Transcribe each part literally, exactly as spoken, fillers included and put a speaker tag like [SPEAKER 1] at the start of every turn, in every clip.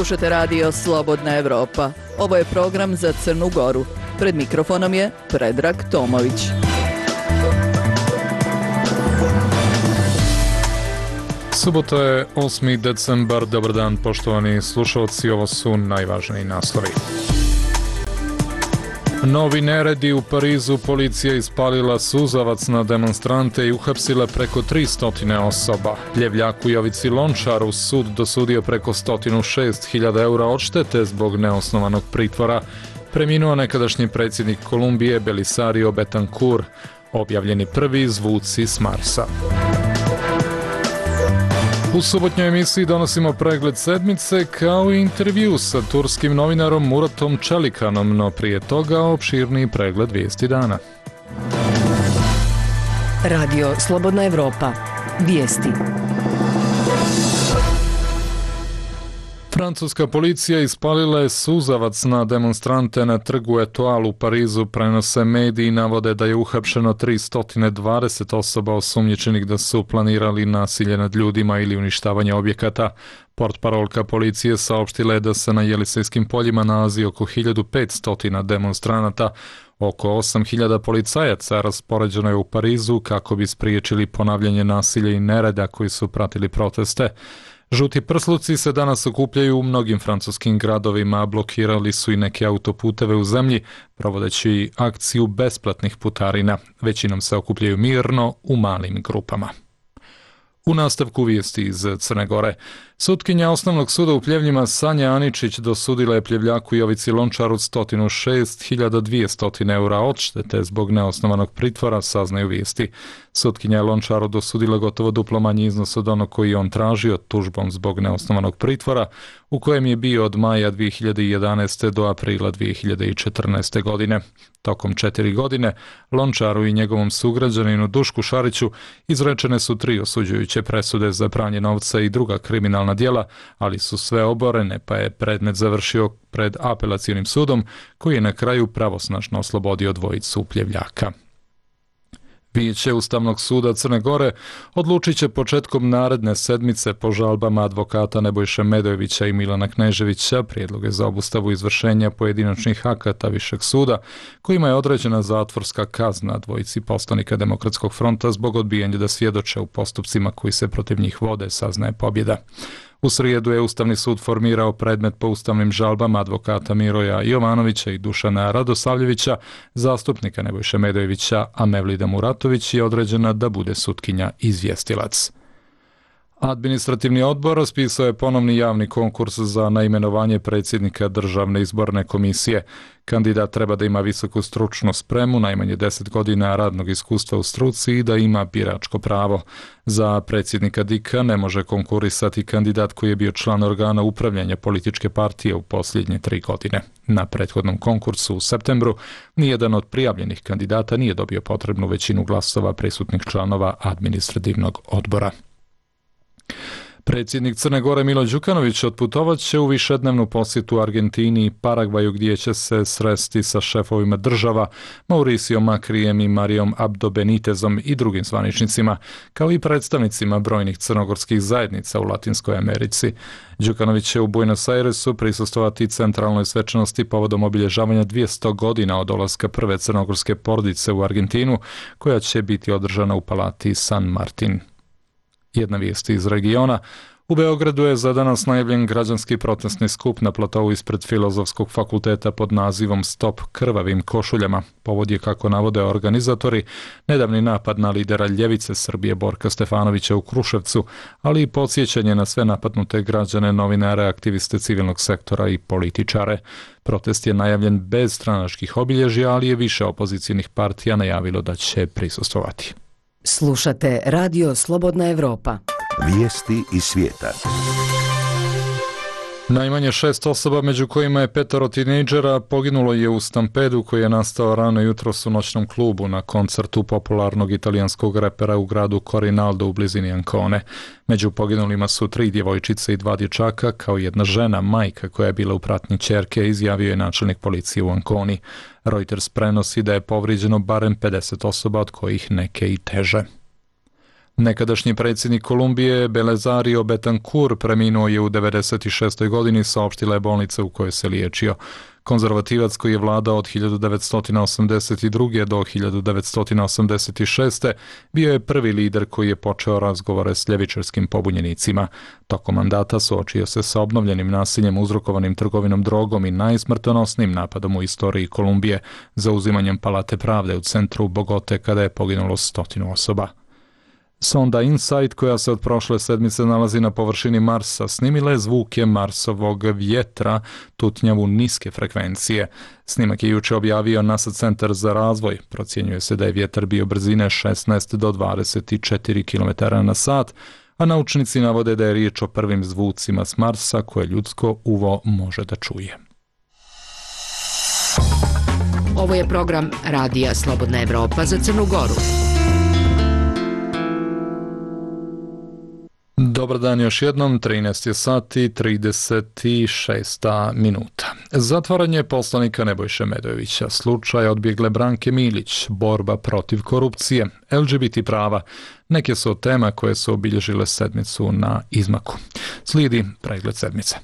[SPEAKER 1] Slušate radio Slobodna Evropa. Ovo je program za Crnu Goru. Pred mikrofonom je Predrag Tomović.
[SPEAKER 2] Subota je osmi decembar. Dobar dan, poštovani slušalci. Ovo su najvažniji naslovi. Novi neredi u Parizu. Policija ispalila suzavac na demonstrante i uhapsila preko tristo osoba. Ljevljaku Jovici Lončaru sud dosudio preko sto šest hiljada eura odštete zbog neosnovanog pritvora. Preminuo nekadašnji predsjednik Kolumbije Belisario Betancourt. Objavljeni prvi zvuci s Marsa. U subotnjoj emisiji donosimo pregled sedmice kao i intervju sa turskim novinarom Muratom Čelikanom, no prije toga opširniji pregled vijesti dana.
[SPEAKER 3] Radio Slobodna Evropa. Vijesti.
[SPEAKER 2] Francuska policija ispalila je suzavac na demonstrante na trgu Etoile u Parizu, prenose mediji, navode da je uhapšeno tristo dvadeset osoba osumnjičenih da su planirali nasilje nad ljudima ili uništavanje objekata. Portparolka policije saopštila je da se na Jelisejskim poljima nalazi oko hiljadu petsto demonstranata. Oko osam hiljada policajaca raspoređeno je u Parizu kako bi spriječili ponavljanje nasilja i nereda koji su pratili proteste. Žuti prsluci se danas okupljaju u mnogim francuskim gradovima, blokirali su i neke autoputeve u zemlji, provodeći akciju besplatnih putarina. Većinom se okupljaju mirno u malim grupama. U nastavku vijesti iz Crne Gore. Sutkinja Osnovnog suda u Pljevljima Sanja Aničić dosudila je Pljevljaku Jovici Lončaru sto šest hiljada dvjesto eura odštete zbog neosnovanog pritvora, saznaju vijesti. Sutkinja je Lončaru dosudila gotovo duplo manji iznos od onog koji je on tražio tužbom zbog neosnovanog pritvora, u kojem je bio od maja dvije hiljade jedanaeste. do aprila dvije hiljade četrnaeste. godine. Tokom četiri godine Lončaru i njegovom sugrađaninu Dušku Šariću izrečene su tri osuđujuće presude za pranje novca i druga kriminalna djela, ali su sve oborene, pa je predmet završio pred apelacionim sudom, koji je na kraju pravosnažno oslobodio dvojicu Pljevljaka. Vijeće Ustavnog suda Crne Gore odlučit će početkom naredne sedmice po žalbama advokata Nebojše Medojevića i Milana Kneževića prijedloge za obustavu izvršenja pojedinačnih akata Višeg suda, kojima je određena zatvorska kazna dvojici poslanika Demokratskog fronta zbog odbijanja da svjedoče u postupcima koji se protiv njih vode, saznaje Pobjeda. U srijedu je Ustavni sud formirao predmet po ustavnim žalbama advokata Miroja Jovanovića i Dušana Radosavljevića, zastupnika Nebojše Medojevića, a Mevlida Muratović je određena da bude sutkinja izvjestilac. Administrativni odbor raspisao je ponovni javni konkurs za naimenovanje predsjednika Državne izborne komisije. Kandidat treba da ima visoku stručnu spremu, najmanje deset godina radnog iskustva u struci i da ima biračko pravo. Za predsjednika D I K-a ne može konkurisati kandidat koji je bio član organa upravljanja političke partije u posljednje tri godine. Na prethodnom konkursu u septembru nijedan od prijavljenih kandidata nije dobio potrebnu većinu glasova prisutnih članova administrativnog odbora. Predsjednik Crne Gore Milo Đukanović otputovat će u višednevnu posjetu Argentini i Paragvaju, gdje će se sresti sa šefovima država Mauricijom Makrijem i Marijom Abdo Benitezom i drugim zvaničnicima, kao i predstavnicima brojnih crnogorskih zajednica u Latinskoj Americi. Đukanović će u Buenos Airesu prisustvovati centralnoj svečanosti povodom obilježavanja dvjesto godina od dolaska prve crnogorske porodice u Argentinu, koja će biti održana u palati San Martin. Jedna vijest iz regiona. U Beogradu je za danas najavljen građanski protestni skup na platovu ispred Filozofskog fakulteta pod nazivom Stop krvavim košuljama. Povod je, kako navode organizatori, nedavni napad na lidera ljevice Srbije Borka Stefanovića u Kruševcu, ali i podsjećanje na sve napadnute građane, novinare, aktiviste civilnog sektora i političare. Protest je najavljen bez stranačkih obilježja, ali je više opozicijnih partija najavilo da će prisustvovati.
[SPEAKER 3] Slušate Radio Slobodna Evropa.
[SPEAKER 4] Vijesti iz svijeta.
[SPEAKER 2] Najmanje šest osoba, među kojima je petoro tinejdžera, poginulo je u stampedu koji je nastao rano jutros u noćnom klubu na koncertu popularnog italijanskog repera u gradu Corinaldo u blizini Ancone. Među poginulima su tri djevojčice i dva dječaka, kao jedna žena, majka koja je bila u pratnji ćerke, izjavio je načelnik policije u Anconi. Reuters prenosi da je povrijeđeno barem pedeset osoba, od kojih neke i teže. Nekadašnji predsjednik Kolumbije Belisario Betancourt preminuo je u devedeset šestoj godini, saopštila je bolnica u kojoj se liječio. Konzervativac koji je vladao od hiljadu devetsto osamdeset druge do hiljadu devetsto osamdeset šeste bio je prvi lider koji je počeo razgovore s ljevičarskim pobunjenicima. Tokom mandata suočio se sa obnovljenim nasiljem uzrokovanim trgovinom drogom i najsmrtonosnim napadom u istoriji Kolumbije, zauzimanjem Palate pravde u centru Bogote kada je poginulo stotinu osoba. Sonda InSight, koja se od prošle sedmice nalazi na površini Marsa, snimila je zvuke Marsovog vjetra, tutnjavu niske frekvencije. Snimak je juče objavio NASA centar za razvoj. Procjenjuje se da je vjetar bio brzine šesnaest do dvadeset četiri kilometara na sat, a naučnici navode da je riječ o prvim zvucima s Marsa koje ljudsko uvo može da čuje.
[SPEAKER 3] Ovo je program Radija Slobodna Evropa za Crnu Goru.
[SPEAKER 2] Dobar dan još jednom, trinaest je sati trideset šest minuta. Zatvaranje poslanika Nebojše Medojevića, slučaj odbjegle Branke Milić, borba protiv korupcije, L G B T prava, neke su od tema koje su obilježile sedmicu na izmaku. Slijedi pregled sedmice.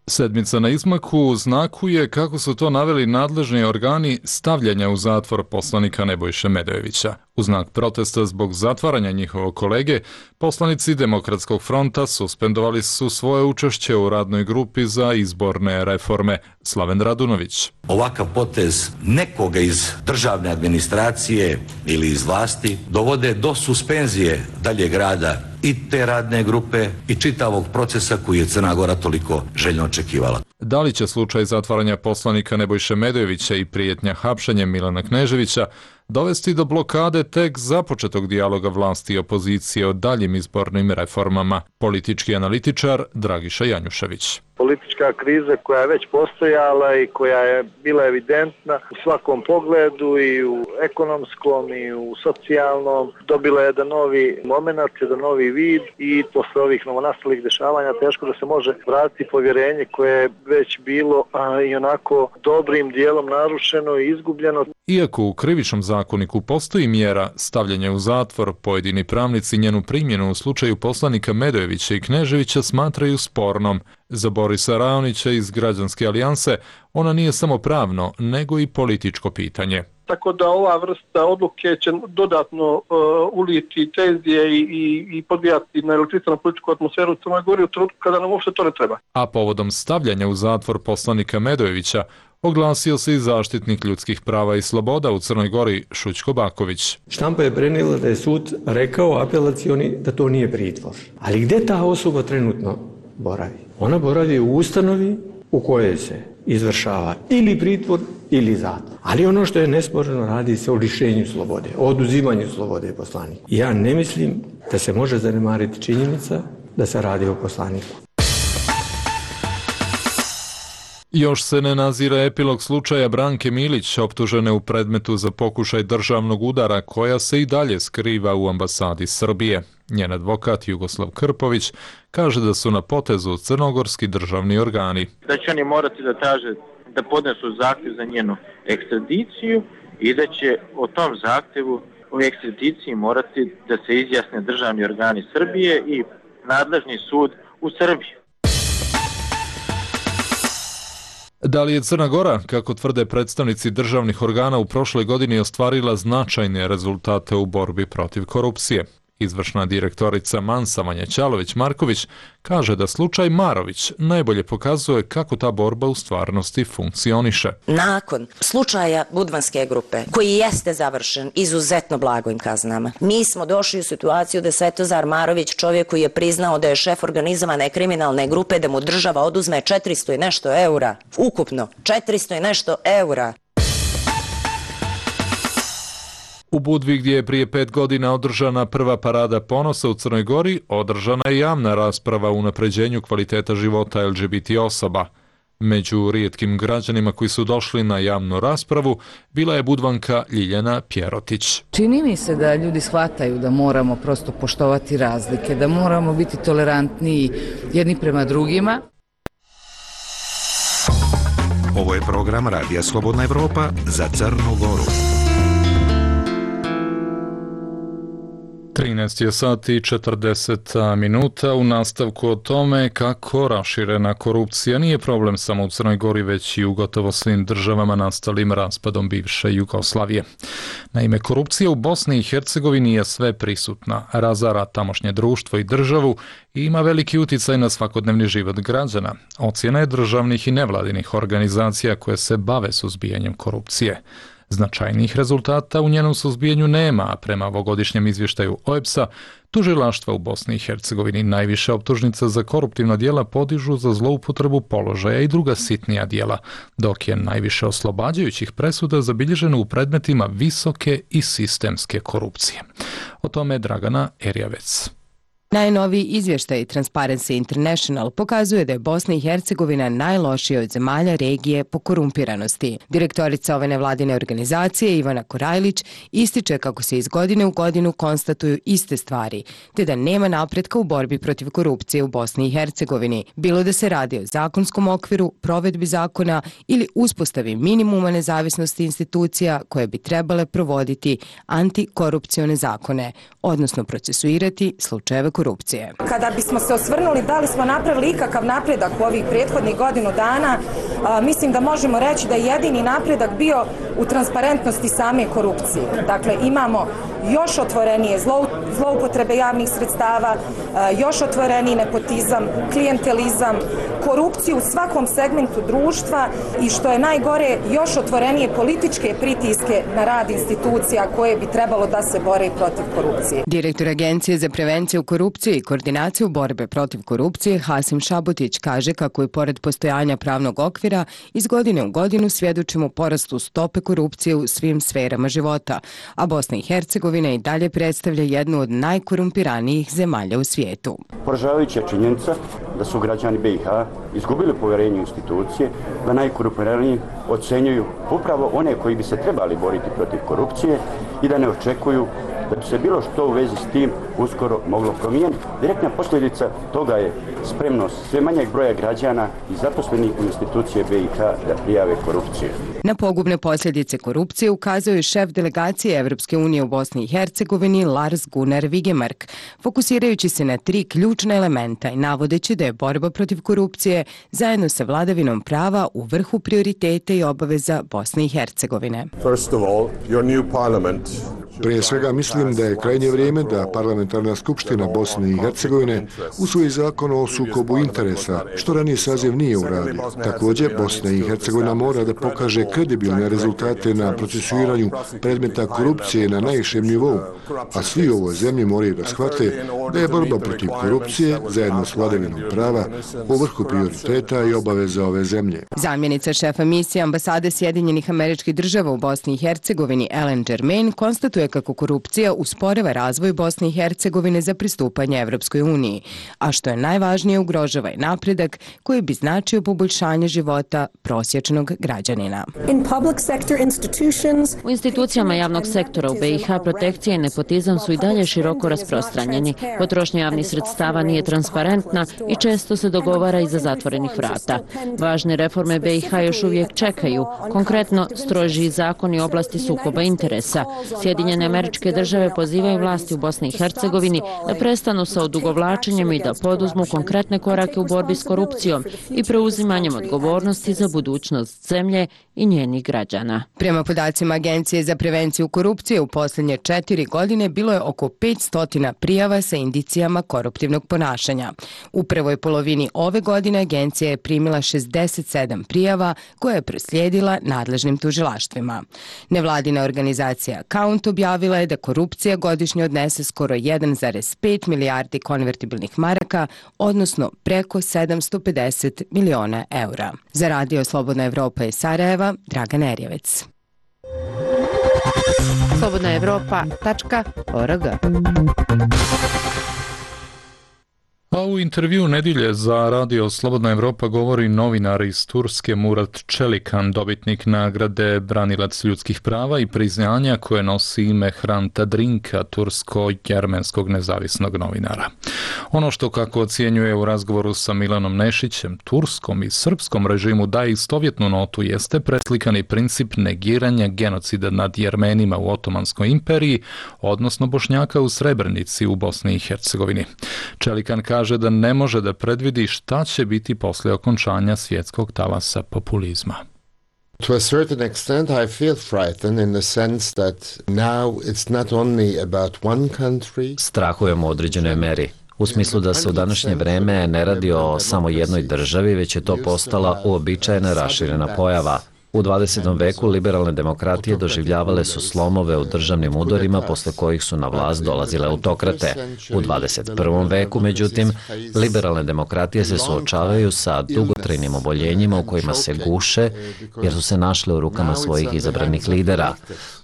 [SPEAKER 2] Sedmica na izmaku znakuje, kako su to naveli nadležni organi, stavljanja u zatvor poslanika Nebojše Medojevića. U znak protesta zbog zatvaranja njihovog kolege, poslanici Demokratskog fronta suspendovali su svoje učešće u radnoj grupi za izborne reforme. Slaven Radunović.
[SPEAKER 5] Ovakav potez nekoga iz državne administracije ili iz vlasti dovode do suspenzije daljeg rada i te radne grupe i čitavog procesa koji je Crna Gora toliko željno očekivala.
[SPEAKER 2] Da li će slučaj zatvaranja poslanika Nebojše Medojevića i prijetnja hapšenjem Milana Kneževića dovesti do blokade tek započetog dijaloga vlasti i opozicije o daljim izbornim reformama? Politički analitičar Dragiša Janjušević.
[SPEAKER 6] Politička kriza koja je već postojala i koja je bila evidentna u svakom pogledu, i u ekonomskom i u socijalnom, dobila je jedan novi moment, jedan novi vid, i posle ovih novonastalih dešavanja teško da se može vratiti povjerenje koje je već bilo a, i onako dobrim dijelom narušeno i izgubljeno.
[SPEAKER 2] Iako u krivičnom zakoniku postoji mjera stavljanja u zatvor, pojedini pravnici njenu primjenu u slučaju poslanika Medojevića i Kneževića smatraju spornom. Za Borisa Raonića iz Građanske alijanse ona nije samo pravno, nego i političko pitanje.
[SPEAKER 7] Tako da ova vrsta odluke će dodatno uh, uliti tenzije i, i, i podbijati na električnu političku atmosferu u Crnoj Gori u trenutku kada nam uopšte to ne treba.
[SPEAKER 2] A povodom stavljanja u zatvor poslanika Medojevića oglasio se i zaštitnik ljudskih prava i sloboda u Crnoj Gori Šućko Baković.
[SPEAKER 8] Štampa je prenijela da je sud rekao apelacioni da to nije pritvor. Ali gdje ta osoba trenutno boravi? Ona boravi u ustanovi u kojoj se izvršava ili pritvor ili zatvor. Ali ono što je nesporno, radi se o lišenju slobode, o oduzimanju slobode poslanika. Ja ne mislim da se može zanemariti činjenica da se radi o poslaniku.
[SPEAKER 2] Još se ne nazire epilog slučaja Branke Milić, optužene u predmetu za pokušaj državnog udara, koja se i dalje skriva u ambasadi Srbije. Njen advokat Jugoslav Krpović kaže da su na potezu crnogorski državni organi.
[SPEAKER 9] Da će oni morati da traže da podnesu zahtjev za njenu ekstradiciju i da će o tom zahtjevu o ekstradiciji morati da se izjasne državni organi Srbije i nadležni sud u Srbiji.
[SPEAKER 2] Da li je Crna Gora, kako tvrde predstavnici državnih organa, u prošloj godini ostvarila značajne rezultate u borbi protiv korupcije? Izvršna direktorica Mansa Vanja Ćalović-Marković kaže da slučaj Marović najbolje pokazuje kako ta borba u stvarnosti funkcioniše.
[SPEAKER 10] Nakon slučaja Budvanske grupe, koji jeste završen izuzetno blagojim kaznama, mi smo došli u situaciju da Svetozar Marović, čovjek koji je priznao da je šef organizovane kriminalne grupe, da mu država oduzme četiristo i nešto eura, ukupno četiristo i nešto eura.
[SPEAKER 2] U Budvi, gdje je prije pet godina održana prva parada ponosa u Crnoj Gori, održana je javna rasprava o unapređenju kvaliteta života L G B T osoba. Među rijetkim građanima koji su došli na javnu raspravu bila je Budvanka Ljiljana Pjerotić.
[SPEAKER 11] Čini mi se da ljudi shvataju da moramo prosto poštovati razlike, da moramo biti tolerantniji jedni prema drugima.
[SPEAKER 4] Ovo je program Radija Slobodna Evropa za Crnu Goru.
[SPEAKER 2] trinaest je sati i četrdeset minuta. U nastavku o tome kako raširena korupcija nije problem samo u Crnoj Gori, već i u gotovo svim državama nastalim raspadom bivše Jugoslavije. Naime, korupcija u Bosni i Hercegovini je sve prisutna, razara tamošnje društvo i državu i ima veliki uticaj na svakodnevni život građana. Ocjena je državnih i nevladinih organizacija koje se bave suzbijanjem korupcije. Značajnih rezultata u njenom suzbijanju nema, a prema ovogodišnjem izvještaju O E B S-a, tužilaštva u Bosni i Hercegovini najviše optužnica za koruptivna djela podižu za zloupotrebu položaja i druga sitnija djela, dok je najviše oslobađajućih presuda zabilježeno u predmetima visoke i sistemske korupcije. O tome je Dragana Erjavec.
[SPEAKER 12] Najnoviji izvještaj Transparency International pokazuje da je Bosna i Hercegovina najlošija od zemalja regije po korumpiranosti. Direktorica ove nevladine organizacije Ivana Korajlić ističe kako se iz godine u godinu konstatuju iste stvari, te da nema napretka u borbi protiv korupcije u Bosni i Hercegovini, bilo da se radi o zakonskom okviru, provedbi zakona ili uspostavi minimuma nezavisnosti institucija koje bi trebale provoditi antikorupcione zakone, odnosno procesuirati slučajeve korupcije. korupcije.
[SPEAKER 13] Kada bismo se osvrnuli da li smo napravili ikakav napredak u ovih prethodnih godinu dana, a, mislim da možemo reći da je jedini napredak bio u transparentnosti same korupcije. Dakle, imamo još otvorenije zlou, zloupotrebe javnih sredstava, a, još otvoreniji nepotizam, klijentelizam, korupciju u svakom segmentu društva i što je najgore, još otvorenije političke pritiske na rad institucija koje bi trebalo da se bore protiv korupcije.
[SPEAKER 12] Direktor Agencije za prevenciju korupcije i koordinaciju borbe protiv korupcije Hasim Šabotić kaže kako je pored postojanja pravnog okvira iz godine u godinu svjedočimo porastu stope korupcije u svim sferama života, a Bosna i Hercegovina i dalje predstavlja jednu od najkorumpiranijih zemalja u svijetu.
[SPEAKER 14] Poražavajuća je činjenica da su građani B i H izgubili povjerenje u institucije, da najkorumpiraniji ocenjuju upravo one koji bi se trebali boriti protiv korupcije i da ne očekuju da bi se bilo što u vezi s tim uskoro moglo promijeniti. Direktna posljedica toga je spremnost sve manjeg broja građana i zaposlenih u institucije B i H da prijave korupciju.
[SPEAKER 12] Na pogubne posljedice korupcije ukazuje i šef delegacije Evropske unije u Bosni i Hercegovini Lars Gunnar Vigemark, fokusirajući se na tri ključna elementa i navodeći da je borba protiv korupcije zajedno sa vladavinom prava u vrhu prioriteta i obaveza Bosne i Hercegovine.
[SPEAKER 15] First of all, your new parliament.
[SPEAKER 16] Prije svega mislim da je krajnje vrijeme da Parlamentarna skupština Bosne i Hercegovine usvoji zakon o sukobu interesa, što ranije saziv nije uradio. Također, Bosna i Hercegovina mora da pokaže kredibilne rezultate na procesuiranju predmeta korupcije na najvišem nivou, a svi u ovoj zemlji moraju da shvate da je borba protiv korupcije zajedno s vladavinom prava u vrhu prioriteta i obaveza ove zemlje.
[SPEAKER 12] Zamjenica šefa misije ambasade Sjedinjenih Američkih Država u Bosni i Hercegovini Ellen Germain konstatuje kako korupcija usporava razvoj Bosne i Hercegovine za pristupanje Evropskoj uniji, a što je najvažnije ugrožava i napredak koji bi značio poboljšanje života prosječnog građanina.
[SPEAKER 17] U institucijama javnog sektora u B i H protekcija i nepotizam su i dalje široko rasprostranjeni. Potrošnja javnih sredstava nije transparentna i često se dogovara iza zatvorenih vrata. Važne reforme B i H još uvijek čekaju, konkretno strožiji zakoni u oblasti sukoba interesa. Sjedinjene Američke Države pozivaju vlasti u Bosni i Hercegovini da prestanu sa odugovlačenjem i da poduzmu konkretne korake u borbi s korupcijom i preuzimanjem odgovornosti za budućnost zemlje i njenih građana.
[SPEAKER 12] Prema podacima Agencije za prevenciju korupcije u posljednje četiri godine bilo je oko petsto prijava sa indicijama koruptivnog ponašanja. U prvoj polovini ove godine agencija je primila šezdeset sedam prijava koje je proslijedila nadležnim tužilaštvima. Nevladina organizacija Count objavila je da korupcija godišnje odnese skoro jedan zarez pet milijardi konvertibilnih maraka, odnosno preko sedamsto pedeset miliona eura. Za Radio Slobodna Evropa iz Sarajeva, Dragana Erjavec.
[SPEAKER 3] slobodna evropa tačka org
[SPEAKER 2] A u intervju nedjelje za Radio Slobodna Evropa govori novinar iz Turske Murat Čelikan, dobitnik nagrade Branilac ljudskih prava i priznanja koje nosi ime Hranta Drinka, tursko-jermenskog nezavisnog novinara. Ono što, kako ocjenjuje u razgovoru sa Milanom Nešićem, turskom i srpskom režimu daje istovjetnu notu jeste preslikani princip negiranja genocida nad Jermenima u Otomanskoj imperiji, odnosno Bošnjaka u Srebrenici u Bosni i Hercegovini. Čelikan kaže kaže da ne može da predvidi šta će biti posle okončanja svjetskog talasa populizma.
[SPEAKER 18] To a certain extent I feel frightened in the sense that now it's not only about one country.
[SPEAKER 19] Strahujem u određenoj meri. U smislu da se u današnje vreme ne radi o samo jednoj državi, već je to postala uobičajena raširena pojava. U dvadesetom veku liberalne demokratije doživljavale su slomove u državnim udorima posle kojih su na vlast dolazile autokrate. U dvadeset prvom veku, međutim, liberalne demokratije se suočavaju sa dugotrajnim oboljenjima u kojima se guše jer su se našle u rukama svojih izabranih lidera.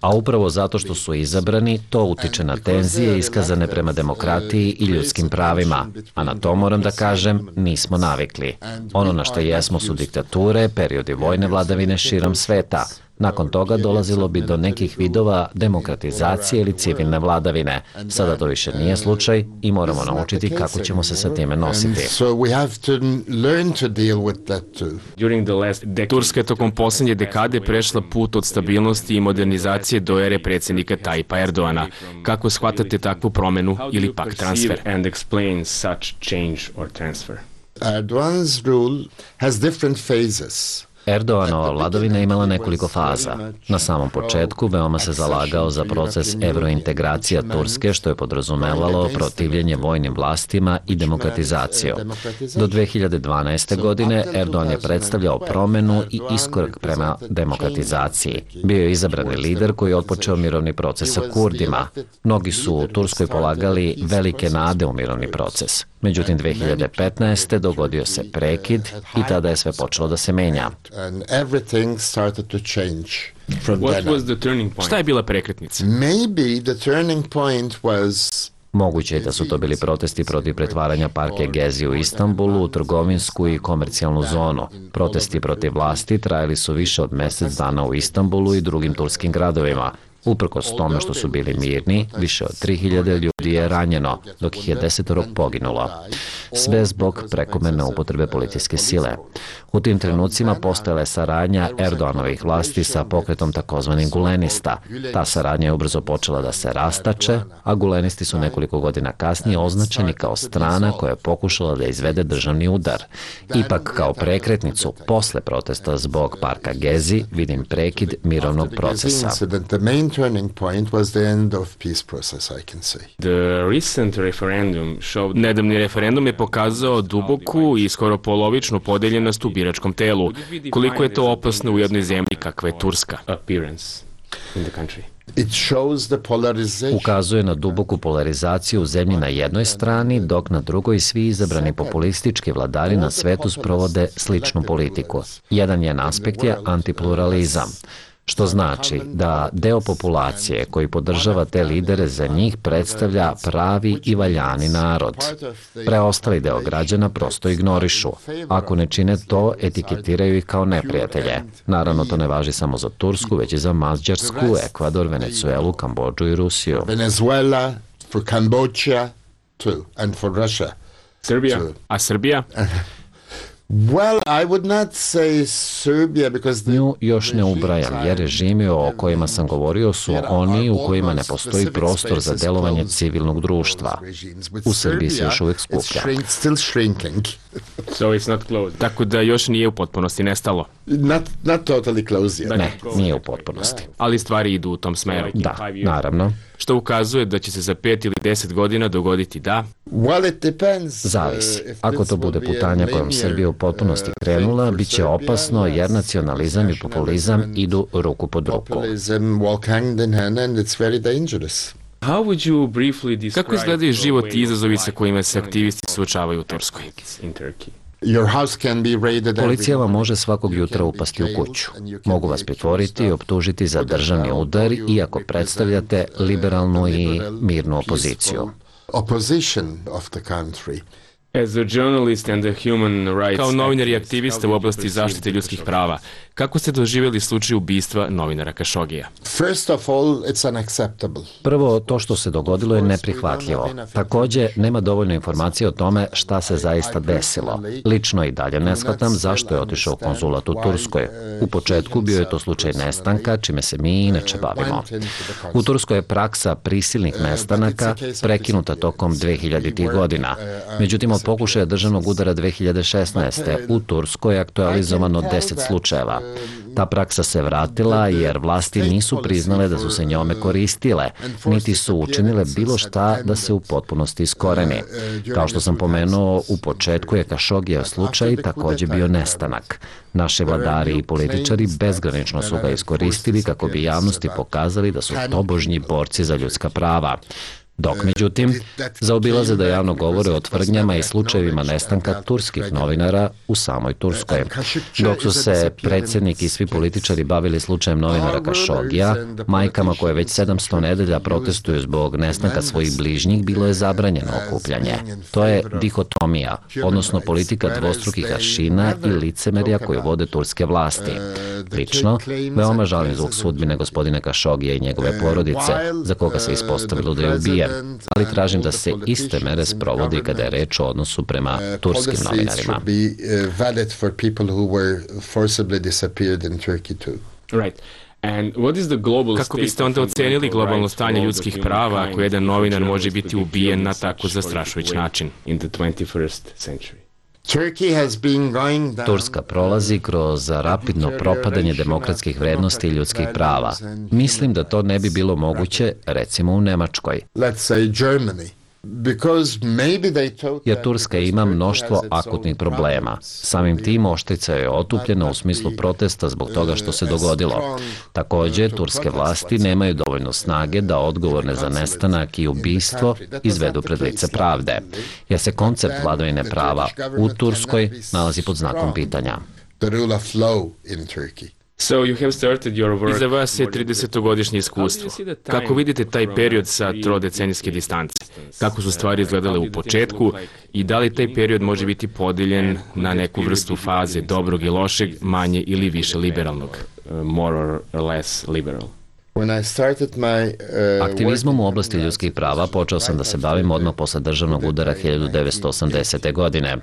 [SPEAKER 19] A upravo zato što su izabrani, to utiče na tenzije iskazane prema demokratiji i ljudskim pravima. A na to, moram da kažem, nismo navikli. Ono na što jesmo su diktature, periodi vojne vladavine širom sveta. Nakon toga dolazilo bi do nekih vidova demokratizacije ili civilne vladavine. Sada to više nije slučaj i moramo naučiti kako ćemo se sa time nositi.
[SPEAKER 20] Turska je tokom posljednje dekade prešla put od stabilnosti i modernizacije do ere predsjednika Tajpa Erdoana. Kako shvatate takvu promenu ili pak transfer?
[SPEAKER 18] Erdogan's rule has different phases.
[SPEAKER 19] Erdoganova vladavina imala nekoliko faza. Na samom početku veoma se zalagao za proces evrointegracija Turske, što je podrazumevalo protivljenje vojnim vlastima i demokratizaciju. Do dve hiljade dvanaeste. godine Erdogan je predstavljao promenu i iskorak prema demokratizaciji. Bio je izabrani lider koji je otpočeo mirovni proces sa Kurdima. Mnogi su u Turskoj polagali velike nade u mirovni proces. Međutim, dve hiljade petnaeste. dogodio se prekid i tada je sve počelo da se menja.
[SPEAKER 20] Šta je bila prekretnica?
[SPEAKER 19] Moguće je da su to bili protesti protiv pretvaranja parke Gezi u Istanbulu u trgovinsku i komercijalnu zonu. Protesti protiv vlasti trajali su više od mjesec dana u Istanbulu i drugim turskim gradovima. Uprkos tome što su bili mirni, više od tri hiljade ljudi je ranjeno, dok ih je desetoro poginulo. Sve zbog prekomerne upotrebe policijske sile. U tim trenucima postojala je saradnja Erdoganovih vlasti sa pokretom takozvanih gulenista. Ta saradnja je ubrzo počela da se rastače, a gulenisti su nekoliko godina kasnije označeni kao strana koja je pokušala da izvede državni udar. Ipak, kao prekretnicu posle protesta zbog parka Gezi, vidim prekid mirovnog procesa.
[SPEAKER 18] Turning point was the end of peace process, I can say.
[SPEAKER 20] The recent referendum showed... Nedavni referendum je pokazao duboku i skoro polovičnu podeljenost u biračkom telu. Koliko je to opasno u jednoj zemlji kakva je Turska? Appearance in the country.
[SPEAKER 18] It shows the polarization.
[SPEAKER 19] Ukazuje na duboku polarizaciju u zemlji na jednoj strani, dok na drugoj svi izabrani populistički vladari na svetu sprovode sličnu politiku. Jedan aspekt je antipluralizam, što znači da deo populacije koji podržava te lidere za njih predstavlja pravi i valjani narod. Preostali deo građana prosto ignorišu. Ako ne čine to, etiketiraju ih kao neprijatelje. Naravno, to ne važi samo za Tursku, već i za Mađarsku, Ekvador, Venezuelu, Kambodžu i Rusiju.
[SPEAKER 18] Venezuela, for Cambodia, too, and for Russia.
[SPEAKER 20] Srbija. A Srbija?
[SPEAKER 18] Well, I would not say Serbia because the...
[SPEAKER 19] Nju još ne ubrajam, jer režimi o kojima sam govorio su oni u kojima ne postoji prostor za delovanje civilnog društva. U Srbiji se još uvijek skuplja.
[SPEAKER 20] So it's not closed. Tako da još nije u potpunosti nestalo.
[SPEAKER 18] Not, not totally closed yet.
[SPEAKER 19] Ne, nije u potpunosti.
[SPEAKER 20] Ali stvari idu u tom smeru.
[SPEAKER 19] Da, naravno.
[SPEAKER 20] Što ukazuje da će se za pet ili deset godina dogoditi da...
[SPEAKER 18] Well, it depends.
[SPEAKER 19] Zavisi. Ako to bude putanja kojom Srbija u potpunosti krenula, bit će opasno jer nacionalizam i populizam idu ruku pod ruku.
[SPEAKER 18] Populism walk hand in hand and it's very dangerous.
[SPEAKER 20] How would you briefly describe... Kako izgledaju život i izazovi sa kojima se aktivisti suočavaju u Turskoj?
[SPEAKER 18] In Turkey. Your house can be raided.
[SPEAKER 19] Policija vam može svakog jutra upasti u kuću. Mogu vas pritvoriti i optužiti za državni udar, iako predstavljate liberalnu i mirnu opoziciju.
[SPEAKER 18] Opposition of the country.
[SPEAKER 20] Kao novinar i aktivista u oblasti zaštite ljudskih prava, kako ste doživjeli slučaj ubistva novinara Kašogija?
[SPEAKER 19] Prvo, to što se dogodilo je neprihvatljivo. Također, nema dovoljno informacije o tome šta se zaista desilo. Lično i dalje ne shvatam zašto je otišao u konzulat u Turskoj. U početku bio je to slučaj nestanka, čime se mi inače bavimo. U Turskoj je praksa prisilnih nestanaka prekinuta tokom dvehiljaditih godina. Međutim, od pokušaja državnog udara dve hiljade šesnaeste. u Turskoj je aktualizovano deset slučajeva. Ta praksa se vratila jer vlasti nisu priznale da su se njome koristile, niti su učinile bilo šta da se u potpunosti iskoreni. Kao što sam pomenuo, u početku je Kašogijev slučaj također bio nestanak. Naši vladari i političari bezgranično su ga iskoristili kako bi javnosti pokazali da su tobožnji borci za ljudska prava. Dok, međutim, zaobilaze da javno govore o tvrdnjama i slučajevima nestanka turskih novinara u samoj Turskoj. Dok su se predsjednik i svi političari bavili slučajem novinara Kašogija, majkama koje već sedamsto nedelja protestuju zbog nestanka svojih bližnjih, bilo je zabranjeno okupljanje. To je dihotomija, odnosno politika dvostrukih aršina i licemerja koju vode turske vlasti. Lično, veoma žalim zbog sudbine gospodina Kašogija i njegove porodice, za koga se ispostavilo da je ubijen, ali tražim da se iste mere sprovodi kada je reč o odnosu prema turskim novinarima.
[SPEAKER 20] Kako biste onda ocenili globalno stanje ljudskih prava ako jedan novinar može biti ubijen na tako zastrašujući način?
[SPEAKER 19] Turska prolazi kroz rapidno propadanje demokratskih vrednosti i ljudskih prava. Mislim da to ne bi bilo moguće, recimo u Nemačkoj. Jer Turska ima mnoštvo akutnih problema. Samim tim oštrica je otupljena u smislu protesta zbog toga što se dogodilo. Također, turske vlasti nemaju dovoljno snage da odgovorne za nestanak i ubistvo izvedu pred lice pravde, jer se koncept vladavine prava u Turskoj nalazi pod znakom pitanja.
[SPEAKER 20] Iza vas je tridesetogodišnje iskustvo. Kako vidite taj period sa trodecenijske distance? Kako su stvari izgledale u početku i da li taj period može biti podijeljen na neku vrstu faze dobrog i lošeg, manje ili više liberalnog? More or less liberal.
[SPEAKER 19] Aktivizmom u oblasti ljudskih prava počeo sam da se bavim odmah posle državnog udara hiljadu devetsto osamdesete. godine.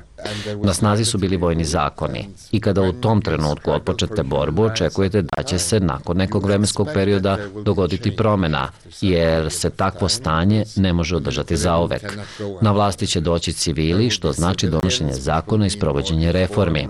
[SPEAKER 19] Na snazi su bili vojni zakoni i kada u tom trenutku otpočete borbu, očekujete da će se nakon nekog vremenskog perioda dogoditi promjena, jer se takvo stanje ne može održati zauvek. Na vlasti će doći civili, što znači donošenje zakona i sprovođenje reformi.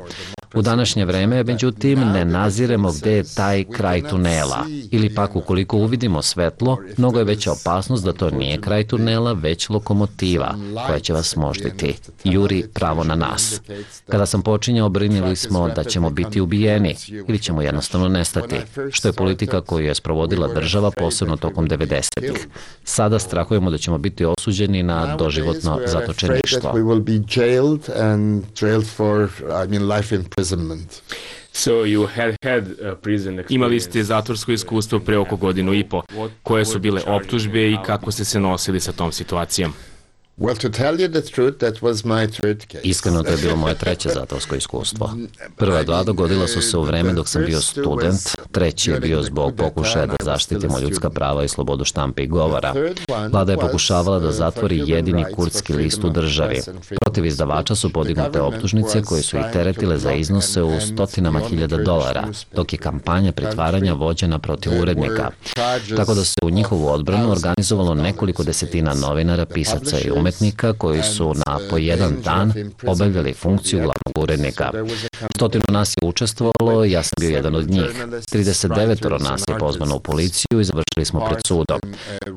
[SPEAKER 19] U današnje vreme, međutim, ne naziremo gde je taj kraj tunela. Ili pak, ukoliko uvidimo svetlo, mnogo je veća opasnost da to nije kraj tunela, već lokomotiva koja će vas možditi. Juri pravo na nas. Kada sam počinjao, brinili smo da ćemo biti ubijeni ili ćemo jednostavno nestati, što je politika koju je sprovodila država, posebno tokom devedesetih. Sada strahujemo da ćemo biti osuđeni na doživotno zatočeništvo.
[SPEAKER 20] Imali ste zatvorsko iskustvo pre oko godinu i po. Koje su bile optužbe i kako ste se nosili sa tom situacijom?
[SPEAKER 19] Iskreno, to je bilo moje treće zatvorsko iskustvo. Prva dva dogodila su se u vreme dok sam bio student, treći je bio zbog pokušaja da zaštitimo ljudska prava i slobodu štampe i govora. Vlada je pokušavala da zatvori jedini kurdski list u državi. Protiv izdavača su podignute optužnice koje su ih teretile za iznose u stotinama hiljada dolara, dok je kampanja pritvaranja vođena protiv urednika. Tako da se u njihovu odbranu organizovalo nekoliko desetina novinara, pisaca i umetnika koji su na po jedan dan obavljali funkciju glavnog urednika. Stotinu nas je učestvovalo, ja sam bio jedan od njih. trideset devet nas je pozvano u policiju i završili smo pred sudom.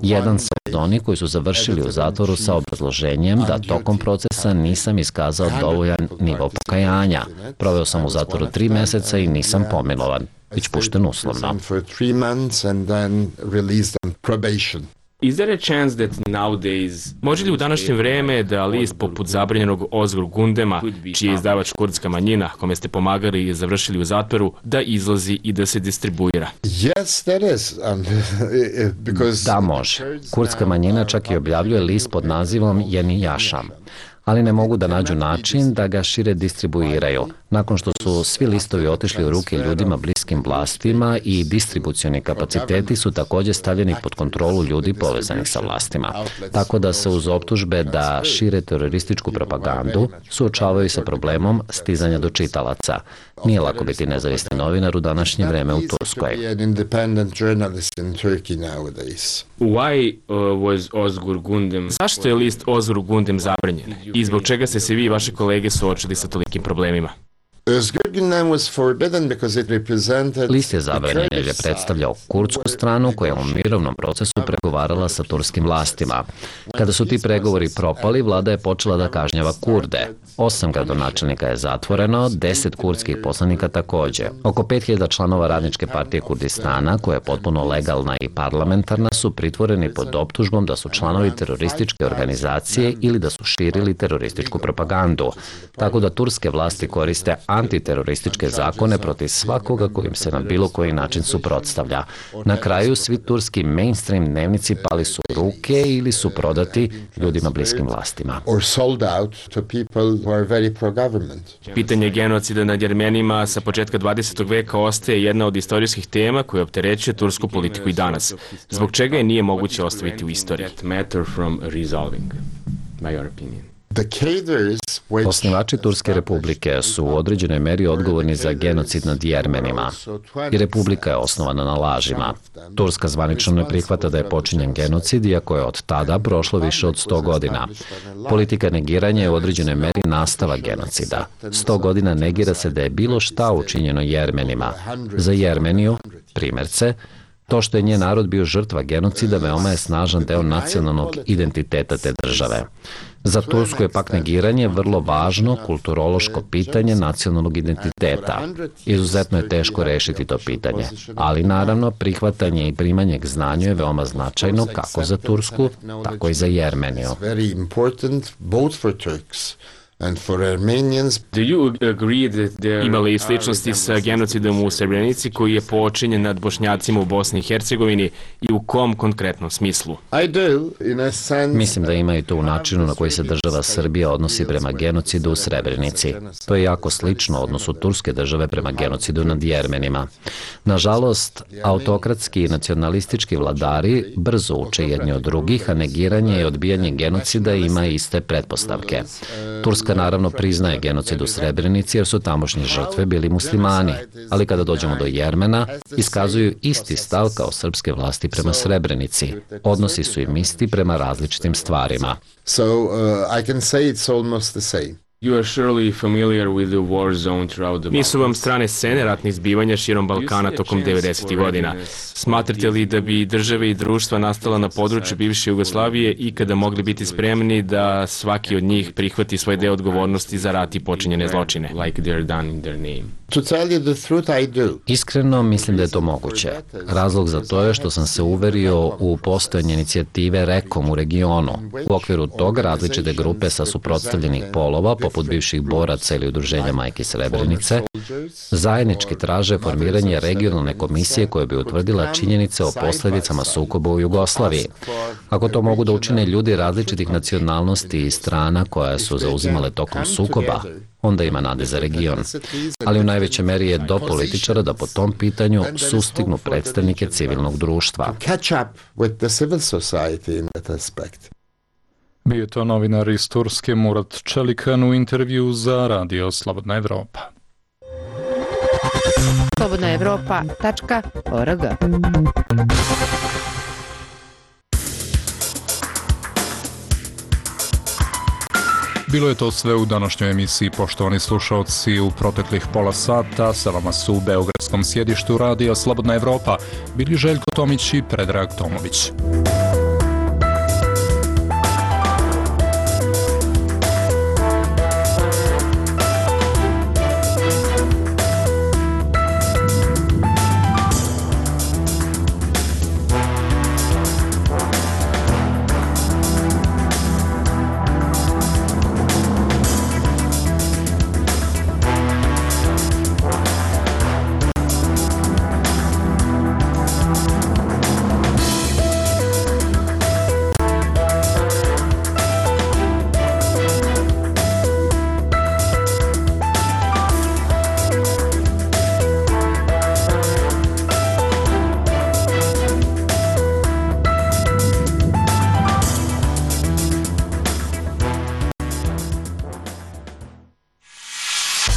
[SPEAKER 19] Jedan sam od onih koji su završili u zatvoru sa obrazloženjem da tokom procesa nisam iskazao dovoljan nivo pokajanja. Proveo sam u zatvoru tri meseca i nisam pomilovan, već pušten uslovno.
[SPEAKER 20] Is there a chance that nowadays... Može li u današnje vreme da list poput zabranjenog Ozgur Gundema, čiji je izdavač kurdska manjina, kome ste pomagali i završili u zatvoru, da izlazi i da se distribuira?
[SPEAKER 19] Da, može. Kurdska manjina čak i objavljuje list pod nazivom Yeni Yaşam. ali ne mogu da nađu način da ga šire distribuiraju. Nakon što su svi listovi otišli u ruke ljudima bliskim vlastima i distribucioni kapaciteti su također stavljeni pod kontrolu ljudi povezanih sa vlastima. Tako da se uz optužbe da šire terorističku propagandu suočavaju sa problemom stizanja do čitalaca. Nije lako biti nezavisni novinar u današnje vreme u Turskoj.
[SPEAKER 20] Why uh, was Ozgur Gundem? Zašto je list Ozgur Gundem zabranjen? I zbog čega ste se vi i vaše kolege suočili sa tolikim problemima?
[SPEAKER 19] List je zabranjen jer je predstavljao kurdsku stranu koja je u mirovnom procesu pregovarala sa turskim vlastima. Kada su ti pregovori propali, vlada je počela da kažnjava Kurde. Osam gradonačelnika je zatvoreno, deset kurdskih poslanika također. Oko pet hiljada članova Radničke partije Kurdistana, koja je potpuno legalna i parlamentarna, su pritvoreni pod optužbom da su članovi terorističke organizacije ili da su širili terorističku propagandu. Tako da turske vlasti koriste antiterorističke zakone protiv svakoga kojim se na bilo koji način suprotstavlja. Na kraju svi turski mainstream dnevnici pali su u ruke ili su prodati ljudima bliskim vlastima.
[SPEAKER 20] Pitanje genocida nad Jermenima sa početka dvadesetog veka ostaje jedna od istorijskih tema koja opterećuje tursku politiku i danas. Zbog čega je nije moguće ostaviti u istoriji?
[SPEAKER 19] Osnivači Turske republike su u određenoj meri odgovorni za genocid nad Jermenima. I republika je osnovana na lažima. Turska zvanično ne prihvata da je počinjen genocid, iako je od tada prošlo više od sto godina. Politika negiranja je u određenoj meri nastava genocida. Sto godina negira se da je bilo šta učinjeno Jermenima. Za Jermeniju, primjerce, to što je njen narod bio žrtva genocida veoma je snažan deo nacionalnog identiteta te države. Za Tursku je pak negiranje vrlo važno kulturološko pitanje nacionalnog identiteta. Izuzetno je teško rešiti to pitanje, ali naravno prihvatanje i primanje k znanju je veoma značajno kako za Tursku, tako i za Jermeniju.
[SPEAKER 20] And for Armenians, do you agree that there ima li sličnosti sa genocidom u Srebrenici koji je počinjen nad Bošnjacima u Bosni i Hercegovini i u kom konkretnom smislu?
[SPEAKER 19] I do, in a sense... Mislim da ima i to u načinu na koji se država Srbija odnosi prema genocidu u Srebrenici. To je jako slično odnosu turske države prema genocidu nad Jermenima. Nažalost, autokratski i nacionalistički vladari brzo uče jedni od drugih, a negiranje i odbijanje genocida ima iste pretpostavke. Turska naravno priznaje genocid u Srebrenici jer su tamošnje žrtve bili muslimani, ali kada dođemo do Jermena, iskazuju isti stav kao srpske vlasti prema Srebrenici. Odnosi su im isti prema različitim stvarima.
[SPEAKER 18] So uh, I can say it's almost the same.
[SPEAKER 20] You are surely familiar with the war zone throughout the Nisu vam strane scene ratnih zbivanja širom Balkana tokom devedesetih godina. Smatrate li da bi države i društva nastala na području bivše Jugoslavije ikada mogli biti spremni da svaki od njih prihvati svoj deo odgovornosti za rat i počinjene zločine? Like they are done in their name.
[SPEAKER 18] To tell you the truth, I do.
[SPEAKER 19] Iskreno mislim da je to moguće. Razlog za to je što sam se uverio u postojanje inicijative REKOM u regionu. U okviru toga različite grupe sa suprotstavljenih polova, poput bivših boraca ili udruženja Majki Srebrenice, zajednički traže formiranje regionalne komisije koja bi utvrdila činjenice o posljedicama sukoba u Jugoslaviji. Ako to mogu da učine ljudi različitih nacionalnosti i strana koja su zauzimale tokom sukoba, onda ima nade za region. Ali u najvećoj meri je do političara da po tom pitanju sustignu predstavnike civilnog društva.
[SPEAKER 2] Bio je to novinar iz Turske Murat Čelikan u intervju za Radio Slobodna Evropa.
[SPEAKER 12] slobodna evropa tačka org.
[SPEAKER 2] Bilo je to sve u današnjoj emisiji, poštovani slušalci. U proteklih pola sata sa vama su u beogradskom sjedištu Radija Slobodna Evropa bili Željko Tomić i Predrag Tomović.